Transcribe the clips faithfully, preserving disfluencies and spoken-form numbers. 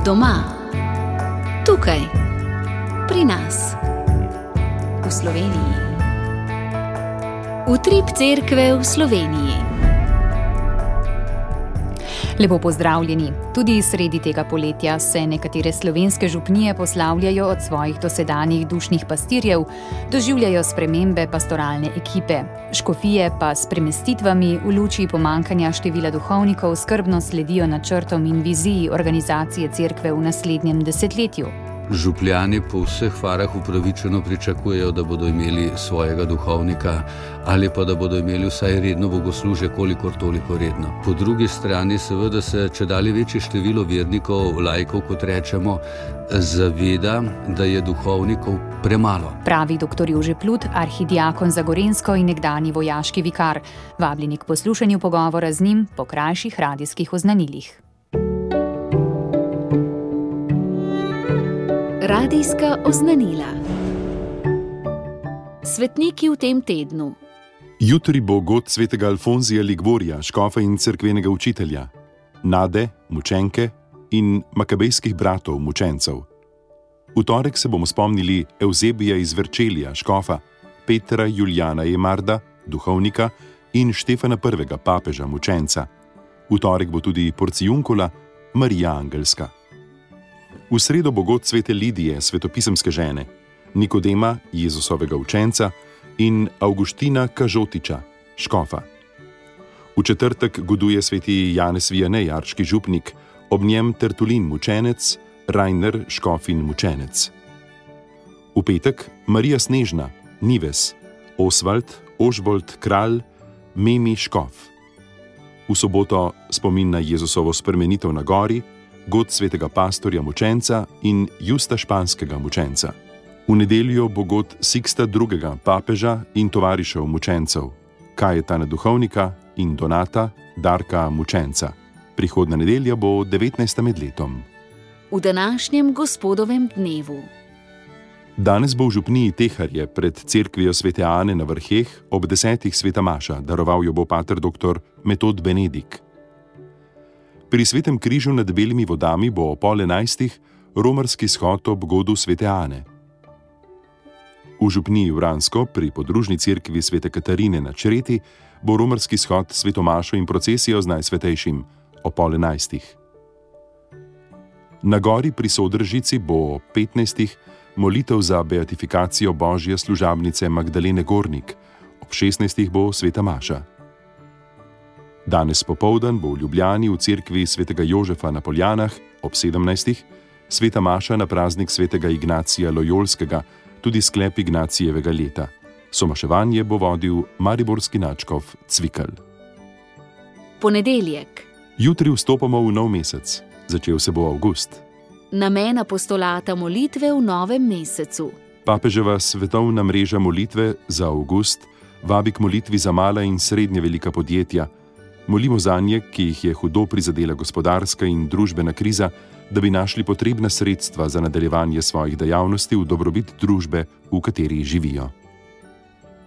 Doma, tukaj, pri nas, v Sloveniji. Utrip cerkve v Sloveniji. Lepo pozdravljeni. Tudi sredi tega poletja se nekatere slovenske župnije poslavljajo od svojih dosedanjih dušnih pastirjev, doživljajo spremembe pastoralne ekipe. Škofije pa s premestitvami v luči pomanjkanja števila duhovnikov skrbno sledijo načrtom in viziji organizacije cerkve v naslednjem desetletju. Župljani po vseh farah upravičeno pričakujejo, da bodo imeli svojega duhovnika ali pa da bodo imeli vsaj redno bogoslužje, kolikor toliko redno. Po drugi strani seveda se čedalje večje število vernikov, laikov, kot rečemo, zaveda, da je duhovnikov premalo. Pravi doktor Jože Plut, arhidiakon za Gorenjsko in nekdanji vojaški vikar. Vabljeni k poslušanju pogovora z njim po krajših radijskih oznanilih. Radijska oznanila. Svetniki v tem tednu. Jutri bo god svetega Alfonzija Ligvorija, škofa in cerkvenega učitelja, Nade, mučenke in makabejskih bratov, mučencev. V torek se bomo spomnili Evzebija iz Verčelija, škofa, Petra Julijana Emarda, duhovnika, in Štefana prvega, papeža, mučenca. V torek bo tudi Porciunkula, Marija Angelska. V sredo bo god svete Lidije, svetopisemske žene, Nikodema, Jezusovega učenca, in Avguština Kažotiča, škofa. V četrtek goduje sveti Janez Vijanej, arški župnik, ob njem Tertulin, mučenec, Rajner, škof in mučenec. V petek Marija Snežna, Nives, Osvald, Ožbolt, kralj, Memi, škof. V soboto spomin na Jezusovo spremenitev na gori, god svetega pastorja mučenca in Justa španskega mučenca. V nedeljo bo god Siksta drugega, papeža in tovarišev mučencev, Kajetana duhovnika in Donata, Darka mučenca. Prihodna nedelja bo devetnajsta med letom. V današnjem gospodovem dnevu. Danes bo v župniji Teharje pred cerkvijo svete Ane na Vrheh ob desetih sveta maša, daroval jo bo pater doktor Metod Benedik. Pri svetem križu nad Belimi vodami bo o pol enajstih romarski shod ob godu svete Ane. V župniji Vransko pri podružni cerkvi svete Katarine na Čreti bo romarski shod svetomašo in procesijo z Najsvetejšim o pol enajstih. Na gori pri Sodržici bo o petnajstih molitev za beatifikacijo božje služabnice Magdalene Gornik, ob šestnajstih bo sveta maša. Danes popoldan bo v Ljubljani v cerkvi svetega Jožefa na Poljanah ob sedemnajstih sveta maša na praznik svetega Ignacija Lojolskega, tudi sklep Ignacijevega leta. Somaševanje bo vodil mariborski nadškof Cvikl. Ponedeljek. Jutri vstopamo v nov mesec. Začel se bo avgust. Namen apostolata molitve v novem mesecu. Papeževa svetovna mreža molitve za avgust vabi k molitvi za mala in srednje velika podjetja. Molimo zanje, ki jih je hudo prizadela gospodarska in družbena kriza, da bi našli potrebna sredstva za nadaljevanje svojih dejavnosti v dobrobit družbe, v kateri živijo.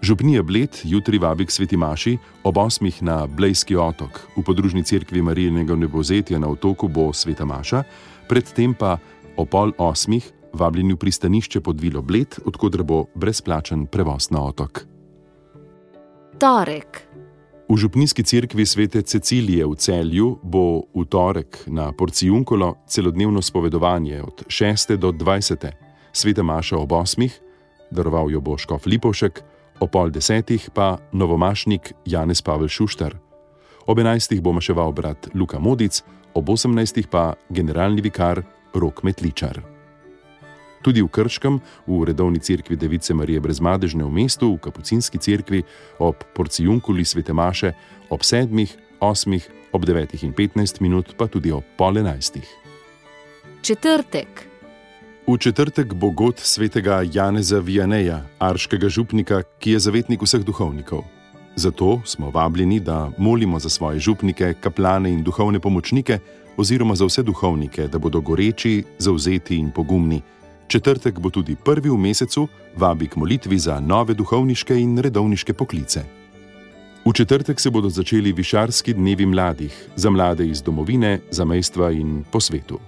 Župnija Bled jutri vabi k sveti maši ob osmih na Blejski otok. V podružni cerkvi Marijinega vnebovzetja na otoku bo sveta maša, predtem pa o pol osmih vabljeni v pristanišče pod vilo Bled, odkudar bo brezplačen prevoz na otok. Torek. V župnijski cerkvi svete Cecilije v Celju bo v torek na Porciunkulo celodnevno spovedovanje od šeste do dvajsete, sveta maša ob osmih, daroval jo bo škof Lipovšek, o pol desetih pa novomašnik Janez Pavel Šuštar. Ob enajstih bo maševal brat Luka Modic, ob osemnajstih pa generalni vikar Rok Metličar. Tudi v Krškem, v redovni cerkvi Device Marije Brezmadežne v mestu, v kapucinski cerkvi, ob Porciunkuli svete maše, ob sedmih, osmih, ob devetih in petnajst minut, pa tudi ob pol enajstih. Četrtek. V četrtek bo god svetega Janeza Vijaneja, arškega župnika, ki je zavetnik vseh duhovnikov. Zato smo vabljeni, da molimo za svoje župnike, kaplane in duhovne pomočnike, oziroma za vse duhovnike, da bodo goreči, zavzeti in pogumni. Četrtek bo tudi prvi v mesecu, vabi k molitvi za nove duhovniške in redovniške poklice. V četrtek se bodo začeli višarski dnevi mladih, za mlade iz domovine, zamejstva in po svetu.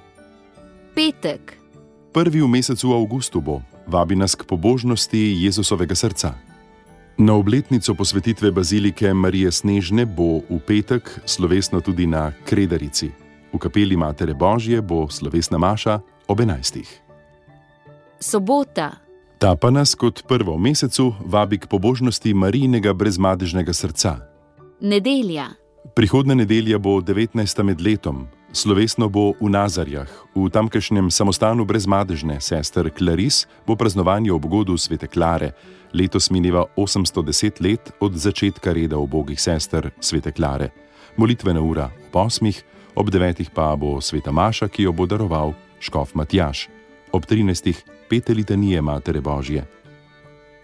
Petek. Prvi v mesecu avgustu bo, vabi nas k pobožnosti Jezusovega srca. Na obletnico posvetitve bazilike Marije Snežne bo v petek slovesno tudi na Kredarici. V kapeli Matere Božje bo slovesna maša ob enajstih. Sobota. Ta pa nas kot prvo v mesecu vabi k pobožnosti Marijinega brezmadežnega srca. Nedelja. Prihodnja nedelja bo devetnajsta med letom. Slovesno bo v Nazarjah, v tamkajšnjem samostanu brezmadežne sester Klaris bo praznovanje obgodu svete Klare. Letos mineva osemsto deset let od začetka reda ubogih sester svete Klare. Molitvena ura ob osmih, ob devetih pa bo sveta maša, ki jo bo daroval škof Matjaž. Ob trinajstih pete litanije Matere Božje.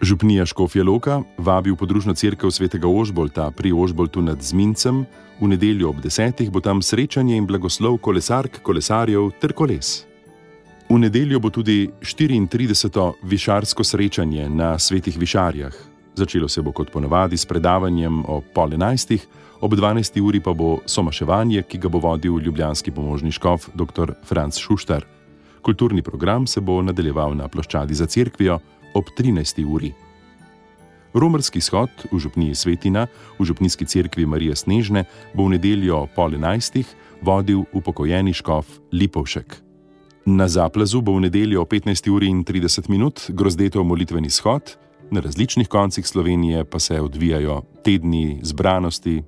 Župnija Škofja Loka vabi v podružno cerkev svetega Ožbolta pri Ožboltu nad Zmincem. V nedeljo ob desetih bo tam srečanje in blagoslov kolesark, kolesarjev ter koles. V nedeljo bo tudi štiriintrideseto višarsko srečanje na Svetih Višarjah. Začelo se bo kot ponavadi s predavanjem ob pol enajstih, ob dvanajsti uri pa bo somaševanje, ki ga bo vodil ljubljanski pomožni škof dr. Franc Šuštar. Kulturni program se bo nadaljeval na ploščadi za cerkvijo ob trinajsti uri. Romarski shod v župniji Svetina, v župnijski cerkvi Marije Snežne, bo v nedeljo pol enajstih vodil upokojeni škof Lipovšek. Na Zaplazu bo v nedeljo o petnajsti uri in trideset minut grozdeto molitveni shod, na različnih koncih Slovenije pa se odvijajo tedni zbranosti,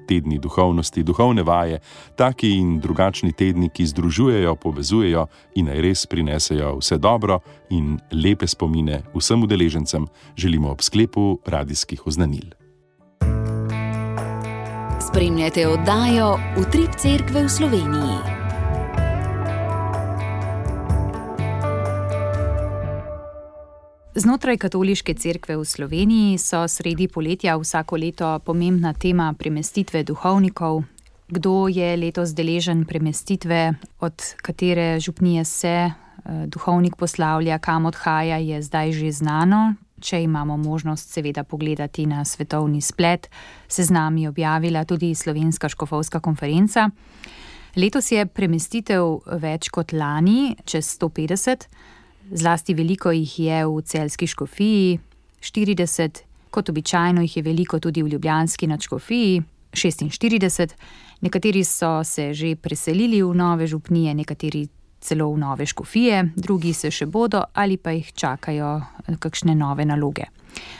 tedni duhovnosti, duhovne vaje, taki in drugačni tedni, ki združujejo, povezujejo in naj res prinesejo vse dobro in lepe spomine vsem udeležencem, želimo ob sklepu radijskih oznanil. Spremljate oddajo Utrip cerkve v Sloveniji. Znotraj katoliške cerkve v Sloveniji so sredi poletja vsako leto pomembna tema premestitve duhovnikov. Kdo je letos deležen premestitve, od katere župnije se duhovnik poslavlja, kam odhaja, je zdaj že znano. Če imamo možnost seveda pogledati na svetovni splet, se z nami objavila tudi Slovenska škofovska konferenca. Letos je premestitev več kot lani, čez sto petdeset. Zlasti veliko jih je v celjski škofiji, štirideset, kot običajno jih je veliko tudi v ljubljanski nadškofiji, šestinštirideset. Nekateri so se že preselili v nove župnije, nekateri celo v nove škofije, drugi se še bodo ali pa jih čakajo kakšne nove naloge.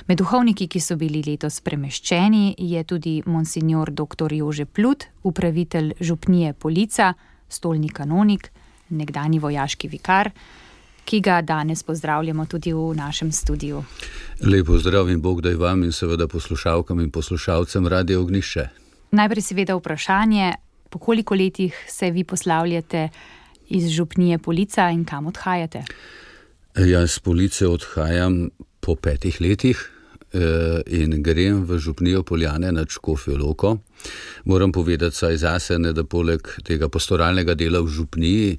Med duhovniki, ki so bili letos premeščeni, je tudi monsignor dr. Jože Plut, upravitelj župnije Polica, stolni kanonik, nekdanji vojaški vikar, ki ga danes pozdravljamo tudi v našem studiu. Lep pozdrav in Bog daj vam in seveda poslušalkam in poslušalcem Radia Ognjišče. Najprej seveda vprašanje, po koliko letih se vi poslavljate iz župnije Polica in kam odhajate? Jaz z Police odhajam po petih letih in grem v župnijo Poljane nad Škofjo Loko. Moram povedati saj zase, ne, da poleg tega pastoralnega dela v župniji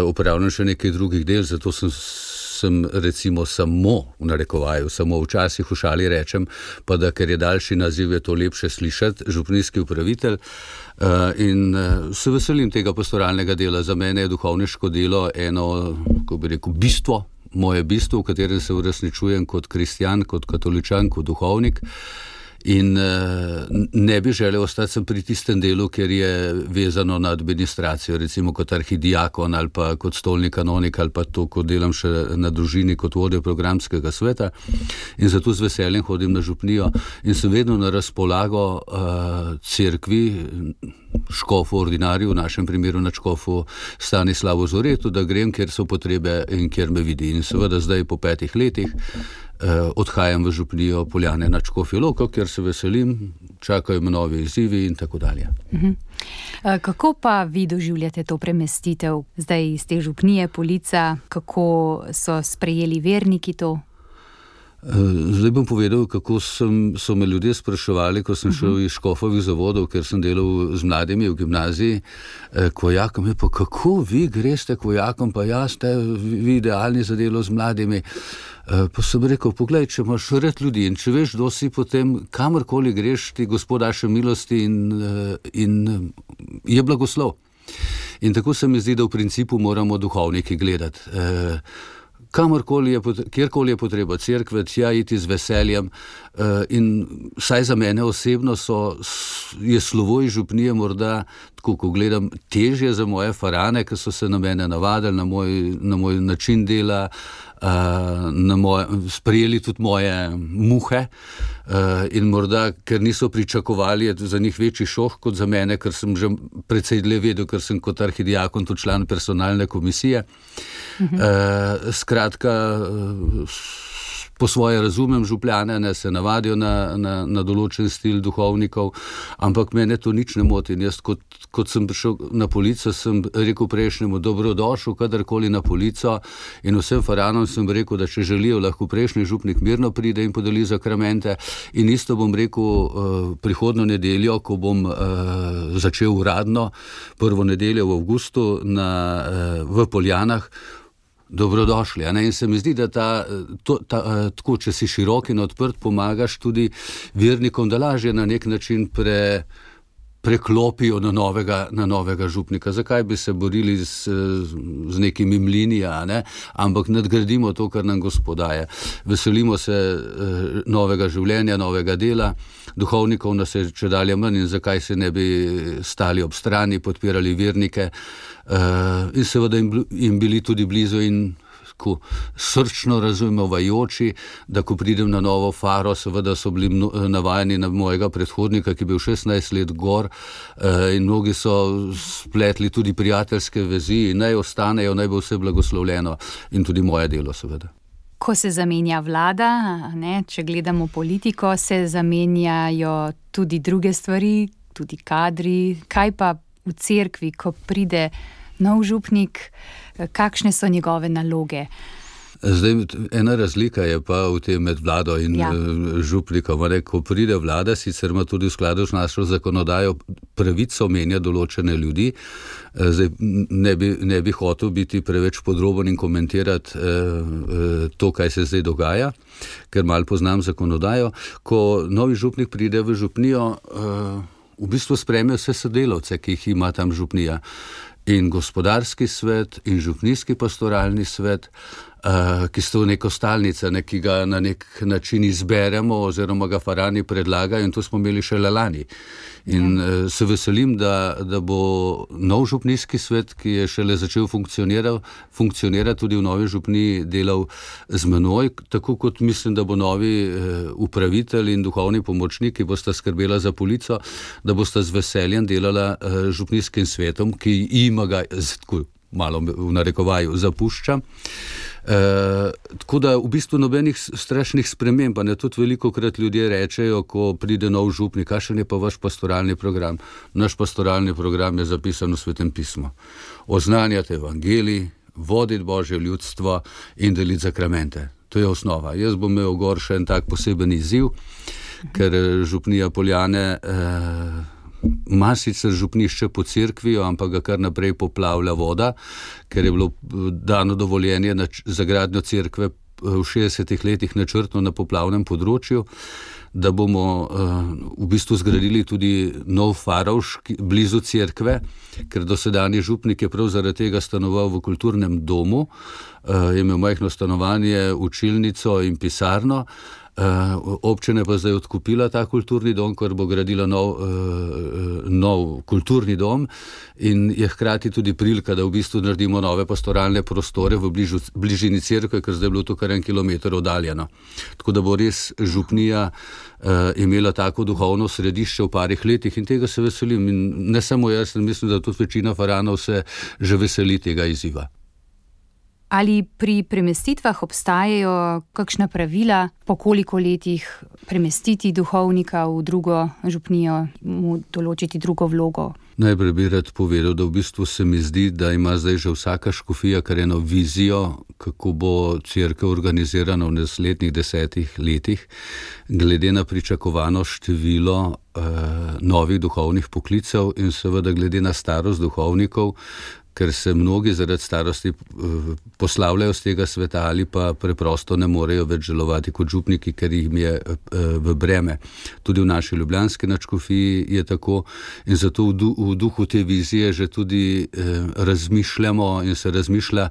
upravljam še nekaj drugih del, zato sem, sem recimo samo, v narekovaju, samo včasih v šali rečem, pa da ker je daljši naziv, je to lepše slišati, župnijski upravitelj. In se veselim tega pastoralnega dela. Za mene je duhovniško delo eno, kako bi rekel, bistvo, moje bistvo, v katerem se uresničujem kot kristjan, kot katoličan, kot duhovnik. In ne bi želel ostati sem pri tistem delu, ker je vezano na administracijo, recimo kot arhidiakon ali pa kot stolni kanonik ali pa to, ko delam še na družini kot vodja programskega sveta. In zato z veseljem hodim na župnijo in sem vedno na razpolago uh, cerkvi, škofu ordinarju, v našem primeru na škofu Stanislavu Zoretu, da grem, kjer so potrebe in kjer me vidi. In seveda zdaj po petih letih Uh, odhajam v župnijo Poljane nad Škofjo Loko, kjer se veselim, čakajo me novi izzivi in tako dalje. Uh-huh. Uh, kako pa vi doživljate to premestitev zdaj iz te župnije Polica? Kako so sprejeli verniki to? Zdaj bom povedal, kako sem, so me ljudje spraševali, ko sem šel iz škofovih zavodov, ker sem delal z mladimi v gimnaziji, k vojakom, je pa kako vi greste k vojakom, pa ja, ste vi idealni za delo z mladimi. Pa sem rekel, poglej, če imaš rad ljudi in če veš, kdo si, potem kamorkoli greš, ti Gospod daše milosti in, in je blagoslov. In tako se mi zdi, da v principu moramo duhovniki gledati. E, kamorkoli je, kjerkoli je potreba cerkve, tja iti z veseljem, e, in vsaj za mene osebno so, je slovo iz župnije morda, tako ko gledam, težje za moje farane, ki so se na mene navadili, na moj, na moj način dela, na moje, sprejeli tudi moje muhe, in morda, ker niso pričakovali, je za njih večji šok kot za mene, ker sem že precej dlje vedel, ker sem kot arhidiakon tudi član personalne komisije. Mhm. Skratka, po svoje razumem župljane, ne, se navadijo na, na, na določen stil duhovnikov, ampak mene to nič ne moti. In jaz, kot, kot sem prišel na polico, sem rekel prejšnjemu, dobrodošel kadarkoli na polico, in vsem faranom sem rekel, da če želijo, lahko prejšnji župnik mirno pride in podeli zakramente. In isto bom rekel uh, prihodno nedeljo, ko bom uh, začel uradno, prvo nedeljo v avgustu na, uh, v Poljanah. Dobrodošli. A ne? In se mi zdi, da ta, to, ta, tako, če si širok in odprt, pomagaš tudi vernikom, da lažje na nek način pre, preklopijo na novega, na novega župnika. Zakaj bi se borili z, z nekimi mlini, a ne? Ampak nadgradimo to, kar nam Gospod daje. Veselimo se uh, novega življenja, novega dela. Duhovnikov nas je čedalje manj, in zakaj se ne bi stali ob strani, podpirali vernike, uh, in seveda jim, jim bili tudi blizu in ko srčno razumevajoči, da ko pridem na novo faro, seveda so bili mno, navajeni na mojega predhodnika, ki je bil šestnajst let gor, uh, in mnogi so spletli tudi prijateljske vezi, in naj ostanejo, naj bo vse blagoslovljeno, in tudi moje delo seveda. Ko se zamenja vlada, ne, če gledamo politiko, se zamenjajo tudi druge stvari, tudi kadri. Kaj pa v cerkvi, ko pride nov župnik, kakšne so njegove naloge? Zdaj, ena razlika je pa v tem med vlado in ja. župnikom. Ko pride vlada, sicer ima tudi v skladu s našo zakonodajo pravico menja določene ljudi. Zdaj, ne bi, ne bi hotel biti preveč podroben in komentirati eh, to, kaj se zdaj dogaja, ker malo poznam zakonodajo. Ko novi župnik pride v župnijo, eh, v bistvu sprejme vse sodelavce, ki jih ima tam župnija. In gospodarski svet, in župnijski pastoralni svet, uh, ki so neko stalnica, ne, ki ga na nek način izberemo oziroma ga farani predlagajo, in to smo imeli šele lani. In uh, se veselim, da, da bo nov župnijski svet, ki je šele začel funkcionirati tudi v novi župniji, delal z menoj, tako kot mislim, da bo novi uh, upravitelj in duhovni pomočnik, ki bosta skrbela za polico, da bosta z veseljem delala uh, župnijskim svetom, ki ima ga, tako malo v narekovaju, zapušča. E, tako da v bistvu nobenih strašnih sprememb, pa ne, tudi veliko krat ljudje rečejo, ko pride nov župnik, kakšen je pa vaš pastoralni program? Naš pastoralni program je zapisan v Svetem pismu. Oznanjati evangelij, voditi Božje ljudstvo in deliti zakramente. To je osnova. Jaz bom imel gor še en tak poseben izziv, ker župnija Poljane eh, ima sicer župnišče po cerkvi, ampak ga kar naprej poplavlja voda, ker je bilo dano dovoljenje na, za gradnjo cerkve v šestdesetih letih načrtno na poplavnem področju, da bomo uh, v bistvu zgradili tudi nov farovš blizu cerkve, ker dosedanji župnik je prav zaradi tega stanoval v kulturnem domu, uh, je imel majhno stanovanje, učilnico in pisarno. Uh, občina pa zdaj odkupila ta kulturni dom, ker bo gradila nov, uh, nov kulturni dom, in je hkrati tudi prilika, da v bistvu naredimo nove pastoralne prostore v bližu, bližini cerkve, ker zdaj je bilo to kar en kilometer oddaljeno. Tako da bo res župnija uh, imela tako duhovno središče v parih letih, in tega se veselim. In ne samo jaz, mislim, da tudi večina faranov se že veseli tega izziva. Ali pri premestitvah obstajajo kakšna pravila, po koliko letih premestiti duhovnika v drugo župnijo, mu določiti drugo vlogo? Najprej bi rad povedal, da v bistvu se mi zdi, da ima zdaj že vsaka škofija kar eno vizijo, kako bo cerkev organizirana v naslednjih desetih letih, glede na pričakovano število eh, novih duhovnih poklicev in seveda glede na starost duhovnikov, ker se mnogi zaradi starosti poslavljajo z tega sveta ali pa preprosto ne morejo več delovati kot župniki, ker jim je v breme. Tudi v naši ljubljanski nadškofiji je tako in zato v duhu te vizije že tudi razmišljamo in se razmišlja,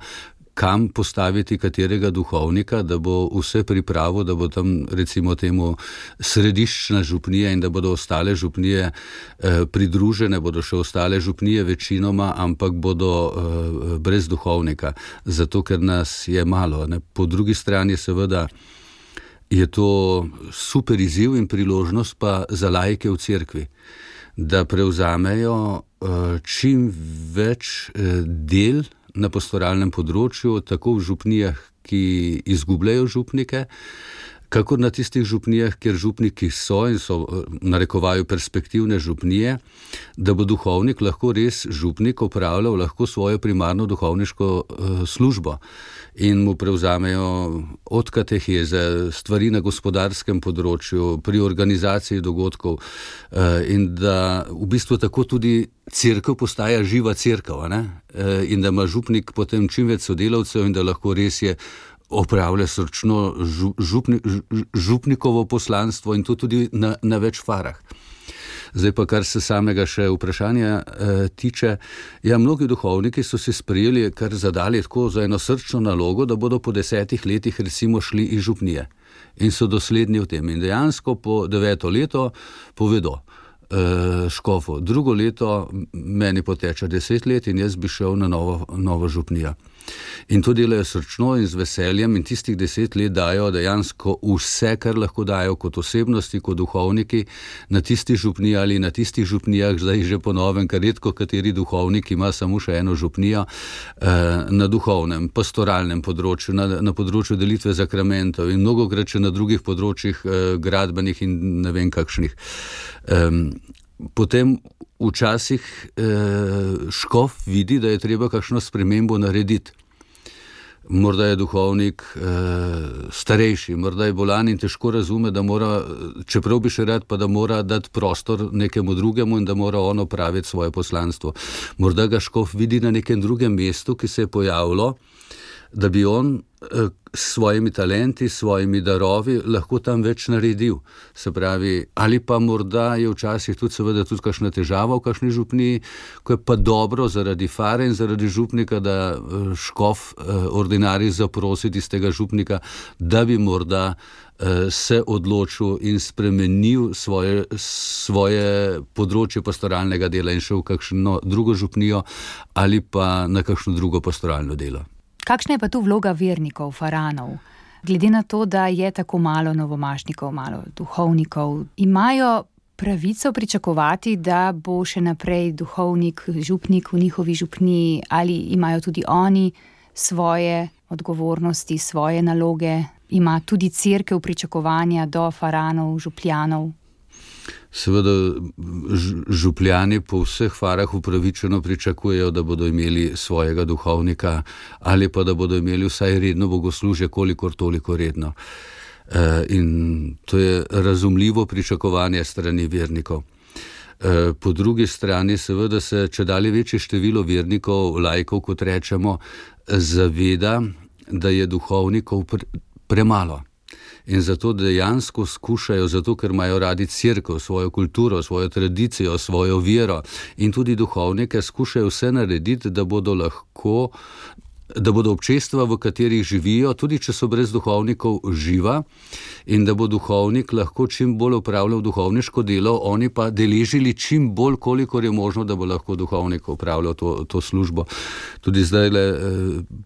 kam postaviti katerega duhovnika, da bo vse pripravo, da bo tam recimo temu središčna župnija in da bodo ostale župnije eh, pridružene, bodo še ostale župnije večinoma, ampak bodo eh, brez duhovnika, zato ker nas je malo. Ne? Po drugi strani seveda je to super izziv in priložnost pa za laike v cerkvi, da prevzamejo eh, čim več eh, del na pastoralnem področju, tako v župnijah, ki izgubljajo župnike, kakor na tistih župnijah, kjer župniki so in so narekovajo perspektivne župnije, da bo duhovnik lahko res župnik opravljal lahko svojo primarno duhovniško uh, službo in mu prevzamejo od kateheze, stvari na gospodarskem področju, pri organizaciji dogodkov uh, in da v bistvu tako tudi cerkev postaja živa cerkev, ne? In da ima župnik potem čim več sodelavcev in da lahko res je opravlja srčno župni, župnikovo poslanstvo in to tudi na, na več farah. Zdaj pa, kar se samega še vprašanja eh, tiče, ja, mnogi duhovniki so si sprejeli, kar zadali tako za eno srčno nalogo, da bodo po desetih letih recimo šli iz župnije in so dosledni v tem. In dejansko po deveto leto povedo škofu. Drugo leto meni poteče deset let in jaz bi šel na novo, novo župnijo. In to delajo srčno in z veseljem in tistih deset let dajo dejansko vse, kar lahko dajo kot osebnosti, kot duhovniki na tistih župnijah ali na tistih župnijah, zdaj že po novem, ker redko kateri duhovnik ima samo še eno župnijo na duhovnem, pastoralnem področju, na, na področju delitve zakramentov in mnogokrat še na drugih področjih gradbenih in ne vem kakšnih. Potem včasih eh, škof vidi, da je treba kakšno spremembo narediti. Morda je duhovnik eh, starejši, morda je bolan in težko razume, da mora, čeprav bi še rad, pa da mora dati prostor nekemu drugemu in da mora on opraviti svoje poslanstvo. Morda ga škof vidi na nekem drugem mestu, ki se je pojavilo, da bi on eh, s svojimi talenti, s svojimi darovi lahko tam več naredil. Se pravi, ali pa morda je včasih tudi seveda tudi kakšna težava v kakšni župniji, ko je pa dobro zaradi fare in zaradi župnika, da škof ordinarij zaprosi tistega župnika, da bi morda se odločil in spremenil svoje, svoje področje pastoralnega dela in šel v kakšno drugo župnijo ali pa na kakšno drugo pastoralno delo. Kakšna je pa tu vloga vernikov, faranov? Glede na to, da je tako malo novomašnikov, malo duhovnikov, imajo pravico pričakovati, da bo še naprej duhovnik, župnik v njihovi župniji, ali imajo tudi oni svoje odgovornosti, svoje naloge? Ima tudi cerkev pričakovanja do faranov, župljanov? Seveda župljani po vseh farah upravičeno pričakujejo, da bodo imeli svojega duhovnika ali pa da bodo imeli vsaj redno bogoslužje, kolikor toliko redno. In to je razumljivo pričakovanje strani vernikov. Po drugi strani seveda se čedalje večje število vernikov, laikov, kot rečemo, zaveda, da je duhovnikov premalo. In zato dejansko skušajo, zato ker imajo radi cerkev, svojo kulturo, svojo tradicijo, svojo vero in tudi duhovnike, skušajo vse narediti, da bodo lahko, da bodo občestva, v katerih živijo, tudi če so brez duhovnikov, živa in da bo duhovnik lahko čim bolj opravljal duhovniško delo, oni pa deležili čim bolj, kolikor je možno, da bo lahko duhovnik opravljal to, to službo. Tudi zdaj le eh,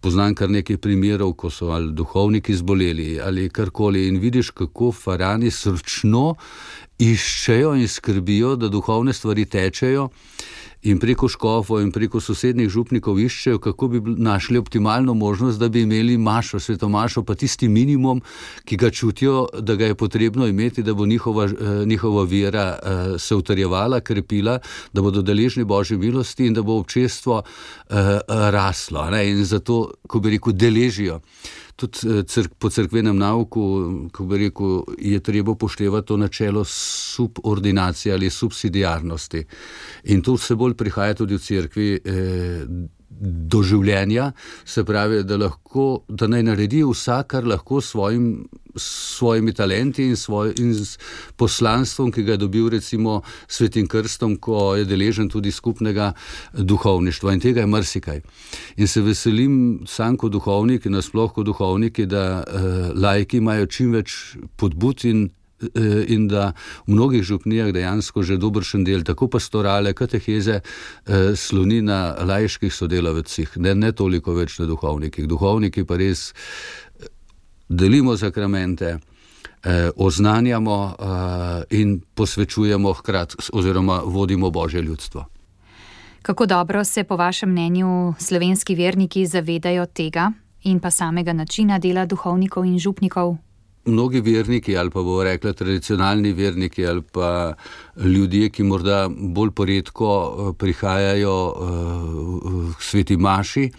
poznam kar nekaj primerov, ko so ali duhovniki zboleli ali karkoli in vidiš, kako farani srčno iščejo in skrbijo, da duhovne stvari tečejo in preko škofov in preko sosednjih župnikov iščejo, kako bi našli optimalno možnost, da bi imeli mašo, svetomašo, pa tisti minimum, ki ga čutijo, da ga je potrebno imeti, da bo njihova, njihova vera se utrjevala, krepila, da bodo deležni Božje milosti in da bo občestvo raslo. Ne? In zato, ko bi rekel, deležijo. Tudi crk, po cerkvenem nauku, ko bi rekel, je treba upoštevati to načelo subordinacije ali subsidiarnosti. In to vse bolj prihaja tudi v cerkvi, eh, doživljenja, se pravi, da, lahko, da naj naredi vsak, kar lahko s svojim, svojimi talenti in, svoj, in s poslanstvom, ki ga je dobil recimo Svetim krstom, ko je deležen tudi skupnega duhovništva, in tega je marsikaj. In se veselim sam kot duhovnik in nasploh kot duhovniki, da uh, laiki imajo čim več podbud in in da v mnogih župnijah dejansko že dobršen del, tako pastorale, kateheze, eh, sloni na laiških sodelavcih, ne, ne toliko več na duhovnikih. Duhovniki pa res delimo sakramente, eh, oznanjamo eh, in posvečujemo hkrati oziroma vodimo Božje ljudstvo. Kako dobro se po vašem mnenju slovenski verniki zavedajo tega in pa samega načina dela duhovnikov in župnikov? Mnogi verniki, ali pa bomo rekli tradicionalni verniki, ali pa ljudje, ki morda bolj poredko prihajajo k sveti maši,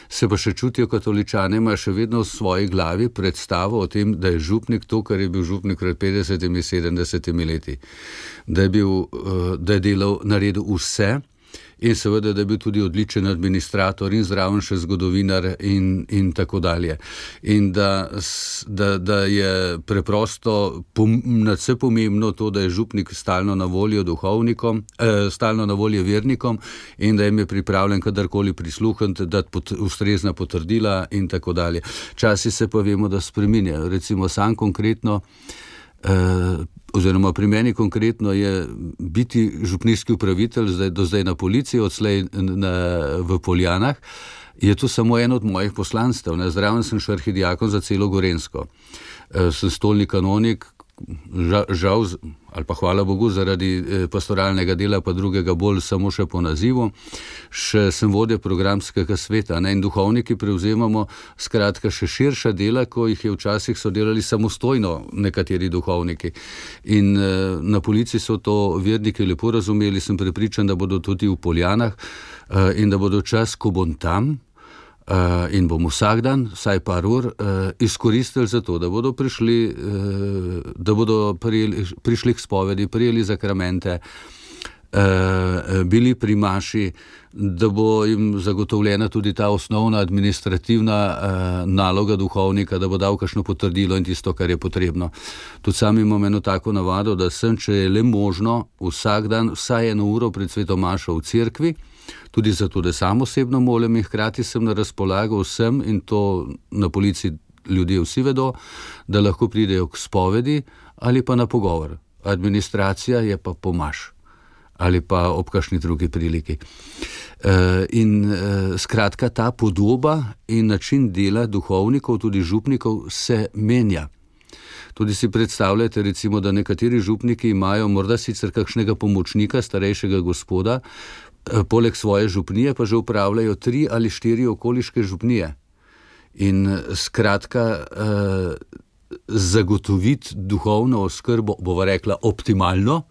se pa še čutijo katoličane, imajo še vedno v svoji glavi predstavo o tem, da je župnik to, kar je bil župnik pred petdesetimi, sedemdesetimi leti. Da je, bil, da je delal, naredil vse, in seveda, da je bil tudi odličen administrator in zraven še zgodovinar in, in tako dalje. In da, da, da je preprosto pom, nadvse pomembno to, da je župnik stalno na voljo duhovnikom, eh, stalno na voljo vernikom in da jim je pripravljen kadarkoli prisluhniti, dati pot, ustrezna potrdila in tako dalje. Časi se pa vemo, da spreminjajo. Recimo sam konkretno, eh, oziroma pri meni konkretno je biti župnijski upravitelj zdaj, do zdaj na policiji, odslej na, v Poljanah, je to samo eno od mojih poslanstev. Ne? Zraven sem še arhidiakon za celo Gorenjsko. E, sem stolni kanonik, žal, žal, ali pa hvala Bogu, zaradi pastoralnega dela, pa drugega bolj samo še po nazivu. Še sem vodja programskega sveta, ne? In duhovniki prevzemamo skratka še širša dela, ko jih je včasih so delali samostojno nekateri duhovniki. In eh, na policiji so to verniki lepo razumeli, sem prepričan, da bodo tudi v Poljanah eh, in da bodo čas, ko bom tam, Uh, in bom vsak dan, vsaj par ur, uh, izkoristili za to, da bodo prišli, uh, da bodo prijeli, prišli k spovedi, prijeli zakramente, uh, bili pri maši, da bo jim zagotovljena tudi ta osnovna administrativna uh, naloga duhovnika, da bo dal kakšno potrdilo in tisto, kar je potrebno. Tudi sam imam eno tako navado, da sem, če je le možno, vsak dan vsaj eno uro pred sveto mašo v cerkvi, tudi zato, da sam osebno molim in hkrati sem na razpolago vsem, in to na policiji ljudje vsi vedo, da lahko pridejo k spovedi ali pa na pogovor. Administracija je pa pomaž ali pa ob kakšni drugi priliki. E, in e, skratka, ta podoba in način dela duhovnikov, tudi župnikov, se menja. Tudi si predstavljate, recimo, da nekateri župniki imajo morda sicer kakšnega pomočnika, starejšega gospoda, poleg svoje župnije pa že upravljajo tri ali štiri okoliške župnije. In skratka, eh, zagotoviti duhovno oskrbo, bova rekla, optimalno,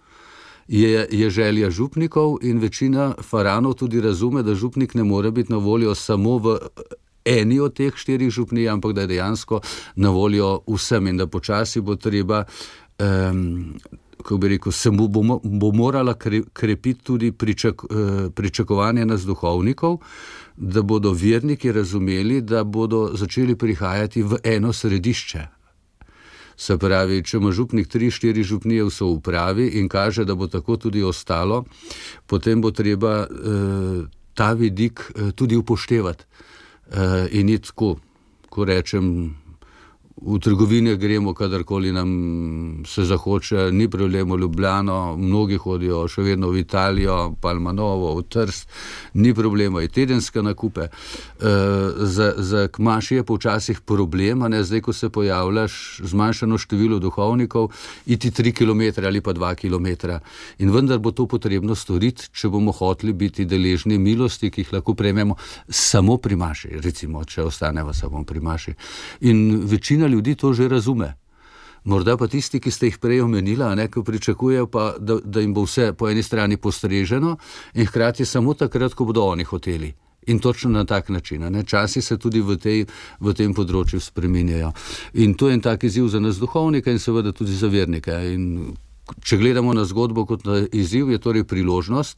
je, je želja župnikov, in večina faranov tudi razume, da župnik ne more biti na voljo samo v eni od teh štirih župnij, ampak da je dejansko na voljo vsem in da počasi bo treba eh, kako bi rekel, se bo, bo morala krepiti tudi pričak, pričakovanje nas duhovnikov, da bodo verniki razumeli, da bodo začeli prihajati v eno središče. Se pravi, če ima župnik tri, štiri župnije v soupravi in kaže, da bo tako tudi ostalo, potem bo treba eh, ta vidik eh, tudi upoštevati. Eh, in ni tako, ko rečem, v trgovine gremo, kadarkoli nam se zahoče, ni problem v Ljubljano, mnogi hodijo še vedno v Italijo, Palmanovo, v Trst, ni problema, je tedenske nakupe. E, za, za kmaši je počasih problem, a ne, zdaj, ko se pojavljaš zmanjšano število duhovnikov, iti tri kilometre ali pa dva kilometra. In vendar bo to potrebno storiti, če bomo hoteli biti deležni milosti, ki jih lahko prejmemo samo pri maši, recimo, če ostaneva samo pri maši. In večina ljudi to že razume. Morda pa tisti, ki ste jih prej omenila, ne, ko pričakujejo pa, da, da jim bo vse po eni strani postreženo in hkrati samo takrat, ko bodo oni hoteli. In točno na tak način. Ne. Časi se tudi v, tej, v tem področju spreminjajo. In to je en tak izziv za nas duhovnika in seveda tudi za vernike. In če gledamo na zgodbo kot na izziv, je torej priložnost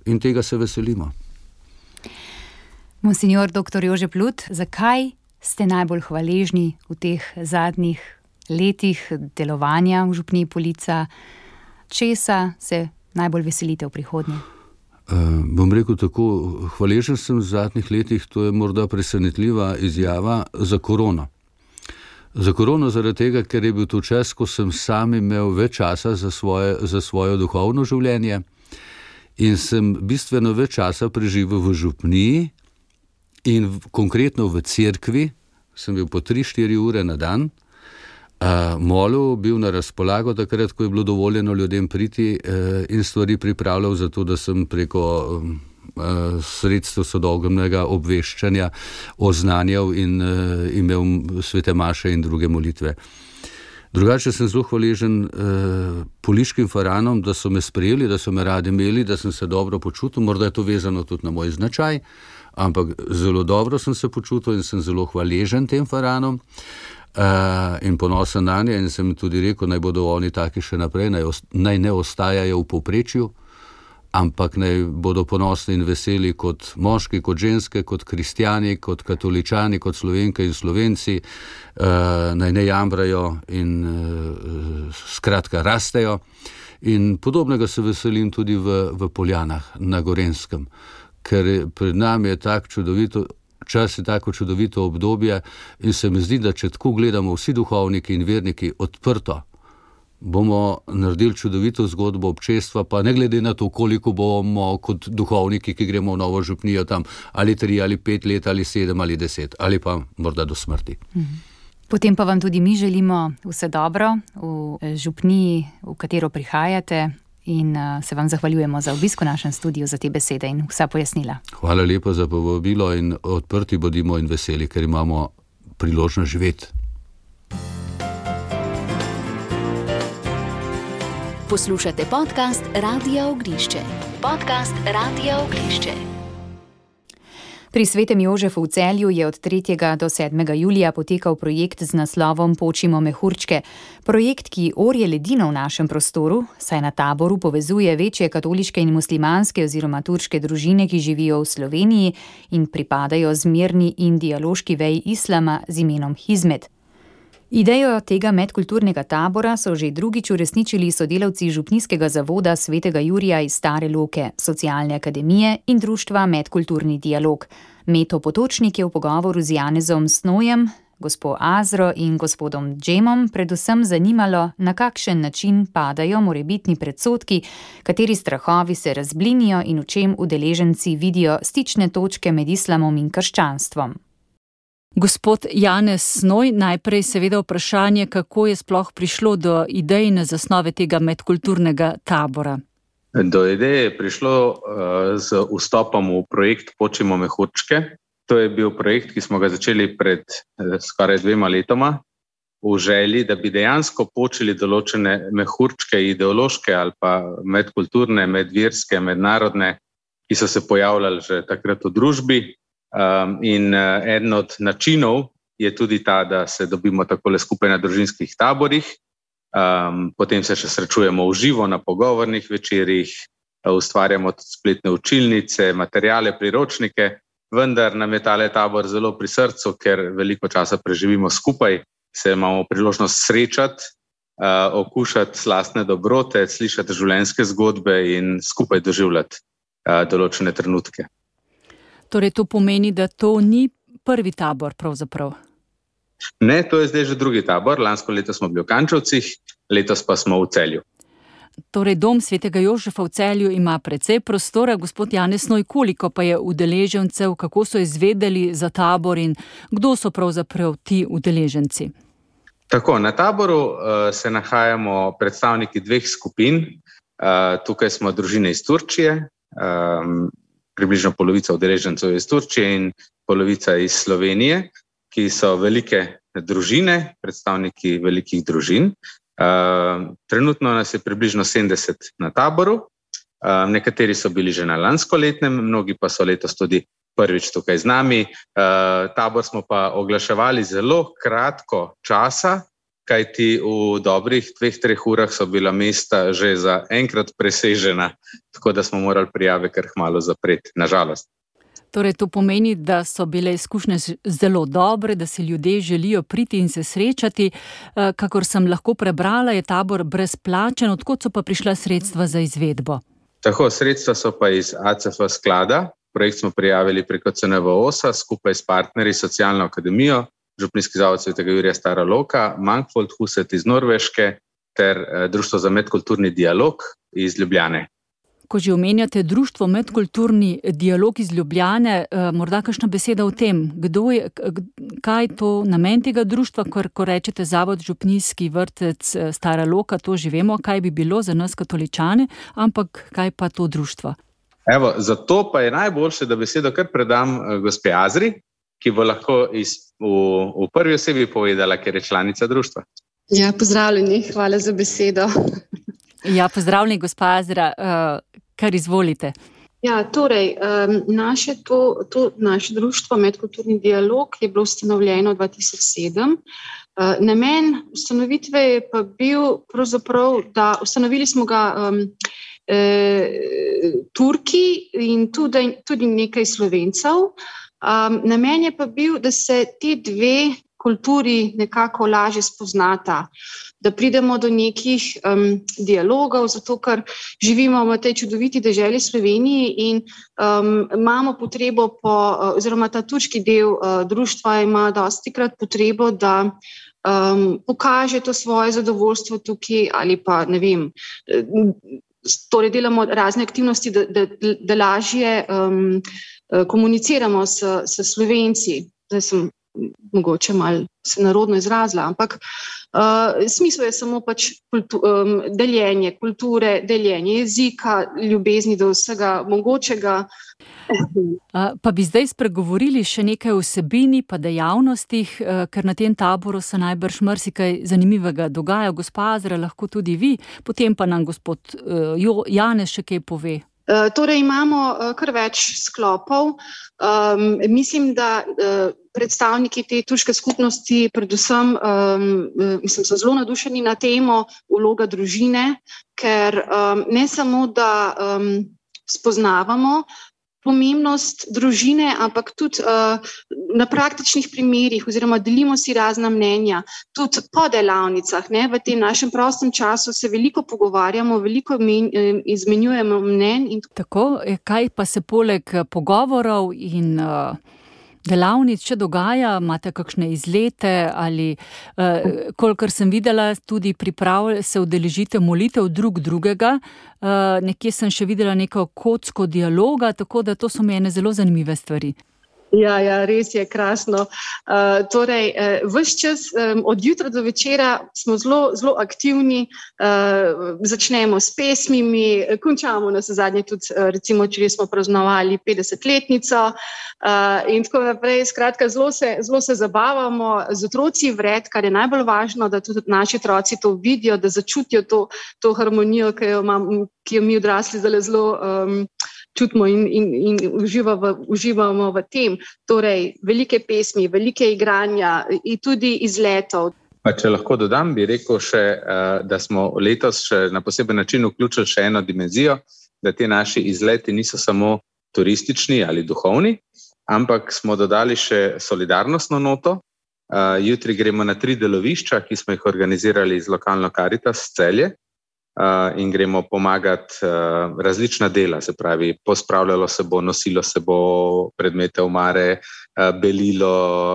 in tega se veselimo. Monsignor doktor Jože Plut, zakaj ste najbolj hvaležni v teh zadnjih letih delovanja v župniji Polica? Česa se najbolj veselite v prihodnje? Uh, bom rekel tako, hvaležen sem v zadnjih letih, to je morda presenetljiva izjava, za korono. Za korono zaradi tega, ker je bil to čas, ko sem sam imel več časa za svoje, za svoje duhovno življenje in sem bistveno več časa preživel v župniji in v, konkretno v cerkvi, sem bil po tri štiri ure na dan, uh, molil, bil na razpolago takrat, ko je bilo dovoljeno ljudem priti uh, in stvari pripravljal za to, da sem preko um, uh, sredstev sodobnega obveščanja oznanjal in uh, imel svete maše in druge molitve. Drugače sem zelo hvaležen uh, poliškim faranom, da so me sprejeli, da so me radi imeli, da sem se dobro počutil, morda je to vezano tudi na moj značaj, ampak zelo dobro sem se počutil in sem zelo hvaležen tem faranom uh, in ponosen na nje in sem tudi rekel, naj bodo oni taki še naprej, naj, naj ne ostajajo v povprečju, ampak naj bodo ponosni in veseli kot moški, kot ženske, kot kristjani, kot katoličani, kot Slovenke in Slovenci, uh, naj ne jamrajo in uh, skratka rastejo. In podobnega se veselim tudi v, v Poljanah na Gorenjskem, ker pred nami je tak čudovito, čas je tako čudovito obdobje in se mi zdi, da če tako gledamo vsi duhovniki in verniki odprto, bomo naredili čudovito zgodbo občestva, pa ne glede na to, koliko bomo kot duhovniki, ki gremo v novo župnijo tam, ali tri, ali pet let, ali sedem, ali deset, ali pa morda do smrti. Potem pa vam tudi mi želimo vse dobro v župniji, v katero prihajate, in se vam zahvaljujemo za obisk v našem studiu, za te besede in vsa pojasnila. Hvala lepa za povabilo in odprti bodimo in veseli, ker imamo priložnost živeti. Poslušate podcast Radia Ognišče. Podcast Radia Ognišče. Pri Svetem Jožefu v Celju je od tretjega do sedmega julija potekal projekt z naslovom Počimo mehurčke. Projekt, ki orje ledino v našem prostoru, saj na taboru povezuje večje katoliške in muslimanske oziroma turške družine, ki živijo v Sloveniji in pripadajo zmerni in dialoški veji islama z imenom Hizmet. Idejo tega medkulturnega tabora so že drugič uresničili sodelavci Župnijskega zavoda Svetega Jurija iz Stare Loke, Socialne akademije in društva Medkulturni dialog. Meto Potočnik je v pogovoru z Janezom Snojem, gospo Azro in gospodom Džemom predvsem zanimalo, na kakšen način padajo morebitni predsodki, kateri strahovi se razblinijo in v čem udeleženci vidijo stične točke med islamom in krščanstvom. Gospod Janez Snoj, najprej seveda vprašanje, kako je sploh prišlo do idejne zasnove tega medkulturnega tabora. Do ideje je prišlo uh, z vstopom v projekt Počimo mehurčke. To je bil projekt, ki smo ga začeli pred uh, skoraj dvema letoma v želji, da bi dejansko počeli določene mehurčke, ideološke ali pa medkulturne, medverske, mednarodne, ki so se pojavljali že takrat v družbi. Um, in uh, eden od načinov je tudi ta, da se dobimo takole skupaj na družinskih taborih, um, potem se še srečujemo v živo na pogovornih večerjih, uh, ustvarjamo tudi spletne učilnice, materijale, priročnike, vendar nam je tale tabor zelo pri srcu, ker veliko časa preživimo skupaj, se imamo priložnost srečati, uh, okušati slastne dobrote, slišati življenjske zgodbe in skupaj doživljati uh, določene trenutke. Torej, to pomeni, da to ni prvi tabor pravzaprav? Ne, to je zdaj že drugi tabor. Lansko leto smo bili v Kančevcih, letos pa smo v Celju. Torej, dom Svetega Jožefa v Celju ima precej prostora. Gospod Janez Snoj, koliko pa je udeležencev, kako so izvedeli za tabor in kdo so pravzaprav ti udeleženci? Tako, na taboru uh, se nahajamo predstavniki dveh skupin. Uh, tukaj smo družine iz Turčije, um, približno polovica udeležencev iz Turčije in polovica iz Slovenije, ki so velike družine, predstavniki velikih družin. Uh, trenutno nas je približno sedemdeset na taboru, uh, nekateri so bili že na lanskoletnem, mnogi pa so letos tudi prvič tukaj z nami. Uh, tabor smo pa oglaševali zelo kratko časa, kajti v dobrih dveh, treh urah so bila mesta že za enkrat presežena, tako da smo morali prijave kar hmalo zapreti, nažalost. Torej, to pomeni, da so bile izkušnje zelo dobre, da si ljudje želijo priti in se srečati. Kakor sem lahko prebrala, je tabor brezplačen. Odkot so pa prišla sredstva za izvedbo? Tako, sredstva so pa iz A C F sklada. Projekt smo prijavili preko C N V O S-a skupaj s partnerji Socialno akademijo, Župnijski zavod Svetega Jurija Stara Loka, Mangfold Huset iz Norveške ter Društvo za medkulturni dialog iz Ljubljane. Ko že omenjate Društvo medkulturni dialog iz Ljubljane, morda kakšna beseda o tem, kdo je, kaj je to namen tega društva, ker ko rečete Zavod Župnijski vrtec Stara Loka, to že vemo, kaj bi bilo za nas katoličane, ampak kaj pa to društvo? Evo, zato pa je najboljše, da besedo kar predam gospe Azri, ki bo lahko iz, v, v prvi osebi povedala, ker je članica društva. Ja, pozdravljeni, hvala za besedo. Ja, pozdravljeni, gospa Azra, uh, kar izvolite. Ja, torej, um, naše, to, to, naše društvo Medkulturni dialog je bilo ustanovljeno dva tisoč sedem. Uh, namen ustanovitve je pa bil pravzaprav, da ustanovili smo ga um, eh, Turki in tudi, tudi nekaj Slovencev. Um, namen je pa bil, da se te dve kulturi nekako lažje spoznata, da pridemo do nekih um, dialogov, zato ker živimo v tej čudoviti deželi Sloveniji in um, imamo potrebo po, oziroma ta turški del uh, društva ima dostikrat potrebo, da um, pokaže to svoje zadovoljstvo tukaj ali pa ne vem, torej delamo razne aktivnosti, da, da, da lažje um, komuniciramo s, s Slovenci. Zdaj sem mogoče malo se narodno izrazila, ampak uh, smisel je samo pač kultu, um, deljenje kulture, deljenje jezika, ljubezni do vsega mogočega. Uh, pa bi zdaj spregovorili še nekaj o vsebini pa dejavnostih, uh, ker na tem taboru se najbrž marsikaj zanimivega dogaja. Gospa Azra, lahko tudi vi, potem pa nam gospod uh, Janez še kaj pove. Uh, torej imamo uh, kar več sklopov. Um, mislim, da uh, predstavniki te turške skupnosti predvsem um, mislim, so zelo nadušeni na temo vloga družine, ker um, ne samo, da um, spoznavamo pomembnost družine, ampak tudi uh, na praktičnih primerih oziroma delimo si razna mnenja, tudi po delavnicah. Ne? V tem našem prostem času se veliko pogovarjamo, veliko men, izmenjujemo mnenj. In... Tako, kaj pa se poleg pogovorov in uh, delavnic še dogaja? Imate kakšne izlete ali, uh, kolikor sem videla, tudi priprav se udeležite molitev drug drugega. Uh, nekje sem še videla neko kocko dialoga, tako da to so mi ene zelo zanimive stvari. Ja, ja, res je krasno. Uh, torej, uh, ves čas um, od jutra do večera smo zelo, zelo aktivni, uh, začnemo s pesmimi, končamo na zadnje tudi, uh, recimo, če smo praznovali petdesetletnico uh, in tako naprej. Skratka, zelo se, zelo se zabavamo z otroci vred, kar je najbolj važno, da tudi naši otroci to vidijo, da začutijo to, to harmonijo, ki jo, imam, ki jo mi odrasli zdaj zelo um, čutimo in, in, in uživamo, uživamo v tem. Torej, velike pesmi, velike igranja in tudi izletov. Pa če lahko dodam, bi rekel še, da smo letos še na poseben način vključili še eno dimenzijo, da te naši izleti niso samo turistični ali duhovni, ampak smo dodali še solidarnostno noto. Jutri gremo na tri delovišča, ki smo jih organizirali z lokalno Karitas Celje. Uh, in gremo pomagati uh, različna dela, se pravi, pospravljalo se bo, nosilo se bo predmete omare, uh, belilo,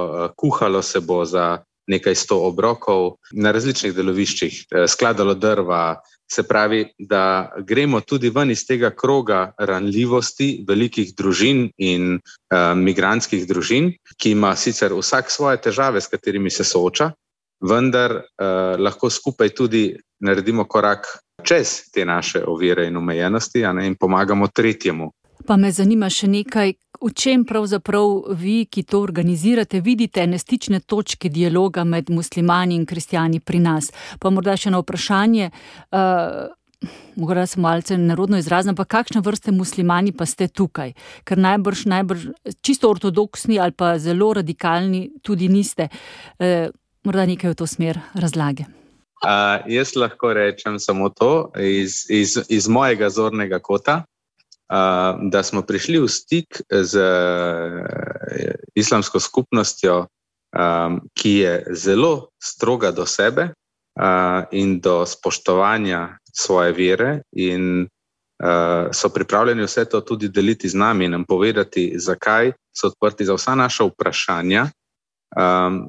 uh, kuhalo se bo za nekaj sto obrokov na različnih deloviščih, uh, skladalo drva, se pravi, da gremo tudi ven iz tega kroga ranljivosti velikih družin in uh, migrantskih družin, ki ima sicer vsak svoje težave, s katerimi se sooča, vendar uh, lahko skupaj tudi naredimo korak čez te naše ovire in omejenosti, a ne, in pomagamo tretjemu. Pa me zanima še nekaj, v čem pravzaprav vi, ki to organizirate, vidite ene stične točke dialoga med muslimani in kristjani pri nas. Pa morda še eno vprašanje, uh, morda sem malce nerodno izrazna, pa kakšne vrste muslimani pa ste tukaj? Ker najbrž, najbrž čisto ortodoksni ali pa zelo radikalni tudi niste. Uh, morda nekaj v to smer razlage. Uh, jaz lahko rečem samo to iz, iz, iz mojega zornega kota. da smo prišli v stik z islamsko skupnostjo, ki je zelo stroga do sebe in do spoštovanja svoje vere in so pripravljeni vse to tudi deliti z nami in nam povedati, zakaj so odprti za vsa naša vprašanja.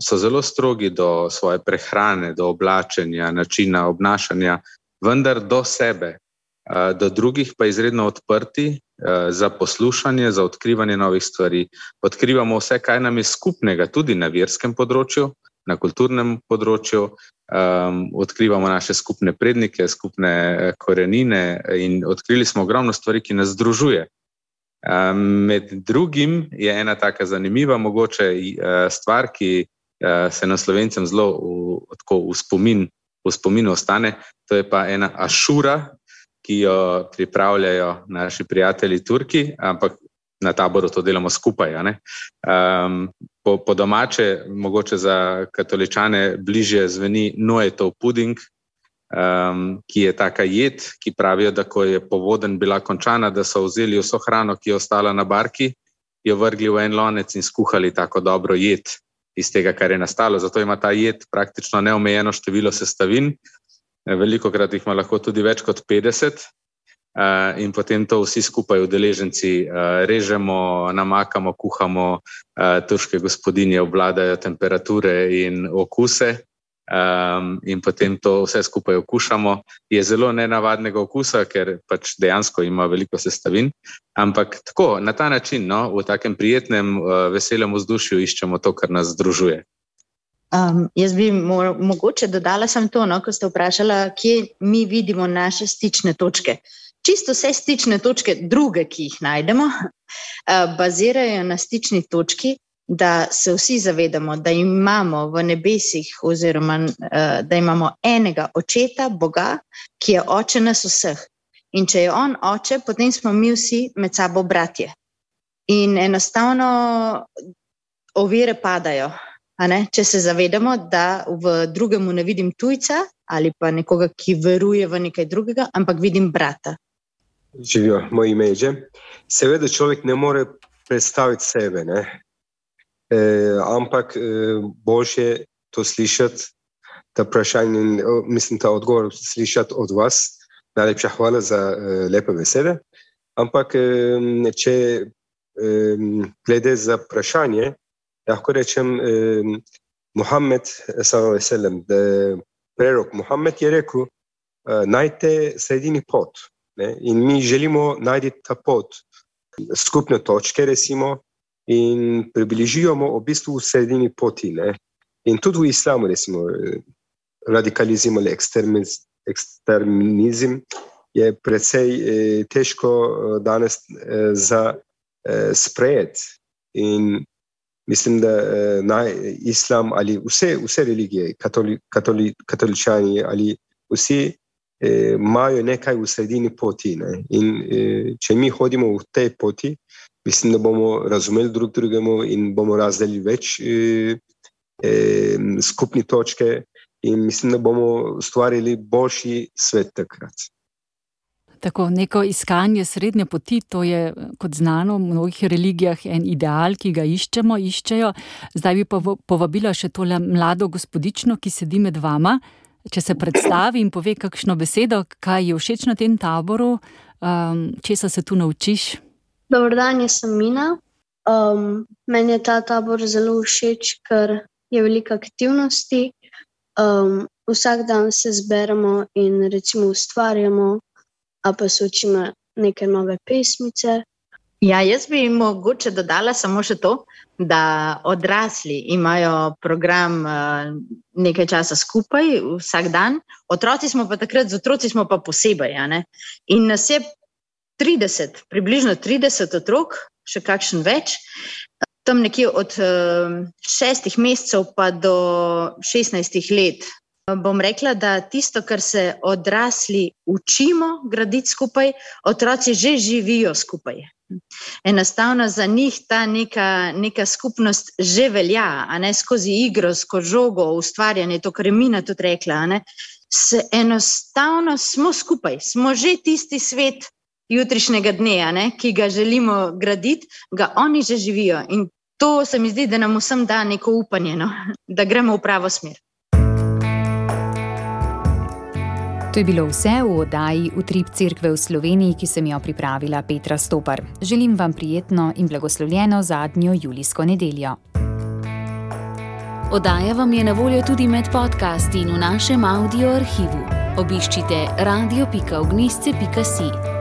So zelo strogi do svoje prehrane, do oblačenja, načina obnašanja, vendar do sebe. Do drugih pa izredno odprti za poslušanje, za odkrivanje novih stvari. Odkrivamo vse, kaj nam je skupnega, tudi na verskem področju, na kulturnem področju. Odkrivamo naše skupne prednike, skupne korenine in odkrili smo ogromno stvari, ki nas združuje. Med drugim je ena taka zanimiva mogoče stvar, ki se nam Slovencem zelo v, tako, v, spomin, v spominu ostane, to je pa ena ašura, ki jo pripravljajo naši prijatelji Turki, ampak na taboru to delamo skupaj. A ne? Um, po, po domače, mogoče za katoličane bližje zveni Noetov puding, um, ki je taka jed, ki pravijo, da ko je povodenj bila končana, da so vzeli vso hrano, ki je ostala na barki, jo vrgli v en lonec in skuhali tako dobro jed iz tega, kar je nastalo. Zato ima ta jed praktično neomejeno število sestavin. Veliko krat jih ima lahko tudi več kot petdeset uh, in potem to vsi skupaj udeleženci uh, režemo, namakamo, kuhamo, uh, turške gospodinje obvladajo temperature in okuse um, in potem to vse skupaj okušamo. Je zelo nenavadnega okusa, ker pač dejansko ima veliko sestavin, ampak tako, na ta način, no, v takem prijetnem, uh, veselem vzdušju iščemo to, kar nas združuje. Um, jaz bi mo mogoče dodala sem to, no, ko ste vprašala, kje mi vidimo naše stične točke. Čisto vse stične točke, druge, ki jih najdemo, uh, bazirajo na stični točki, da se vsi zavedamo, da imamo v nebesih oziroma uh, da imamo enega očeta, Boga, ki je oče nas vseh. In če je on oče, potem smo mi vsi med sabo bratje. In enostavno ovire padajo. A ne? Če se zavedamo, da v drugemu ne vidim tujca ali pa nekoga, ki veruje v nekaj drugega, ampak vidim brata. Živijo, moj ime je. Seveda človek ne more predstaviti sebe, ne? E, ampak e, boljše to slišati, ta vprašanje, mislim, ta odgovor slišati od vas. Najlepša hvala za e, lepe besede. Ampak e, če e, glede za vprašanje, lahko rečem, eh, Muhammed sallallahu alejhi ve sellem, da prerok Muhammed je rekel, eh, najte sredini pot. Ne? In mi želimo najti ta pot, skupne točke, recimo, in približujemo v bistvu v sredini poti. Ne? In tudi v islamu, recimo, radikalizem ali ekstremizem je precej eh, težko danes eh, za eh, sprejeti. In mislim, da eh, naj, islam ali vse, vse religije, katoli, katoli, katoličani ali vsi eh, imajo nekaj v sredini poti. Ne? In eh, če mi hodimo v tej poti, mislim, da bomo razumeli drug drugemu in bomo razdelili več eh, eh, skupni točke in mislim, da bomo ustvarili boljši svet takrat. Tako, neko iskanje srednje poti, to je, kot znano, v mnogih religijah en ideal, ki ga iščemo, iščejo. Zdaj bi pa povabila še tole mlado gospodično, ki sedi med vama, če se predstavi in pove kakšno besedo, kaj je všeč na tem taboru, um, česa se tu naučiš? Dobar dan, jaz sem Mina. Um, meni je ta tabor zelo všeč, ker je veliko aktivnosti. Um, vsak dan se zberemo in recimo ustvarjamo, a pa se učimo neke nove pesmice. Ja, jaz bi mogoče dodala samo še to, da odrasli imajo program nekaj časa skupaj, vsak dan. Otroci smo pa takrat, z otroci smo pa posebej. A ne? In nas je trideset, približno trideset otrok, še kakšen več, tam nekje od šestih mesecev pa do šestnajstih let. Bom rekla, da tisto, kar se odrasli učimo graditi skupaj, otroci že živijo skupaj. Enostavno za njih ta neka, neka skupnost že velja, a ne skozi igro, skozi žogo, ustvarjanje, to, kar je Mina tudi rekla, a ne. Se enostavno smo skupaj, smo že tisti svet, jutrišnjega dne, ne, ki ga želimo graditi, ga oni že živijo. In to se mi zdi, da nam vsem da neko upanje, no, da gremo v pravo smer. To je bilo vse v oddaji Utrip cerkve v Sloveniji, ki sem jo pripravila Petra Stopar. Želim vam prijetno in blagoslovljeno zadnjo julijsko nedeljo. Oddaja vam je na voljo tudi med podcasti in v našem audio arhivu. Obiščite radio pika ognjišče pika si.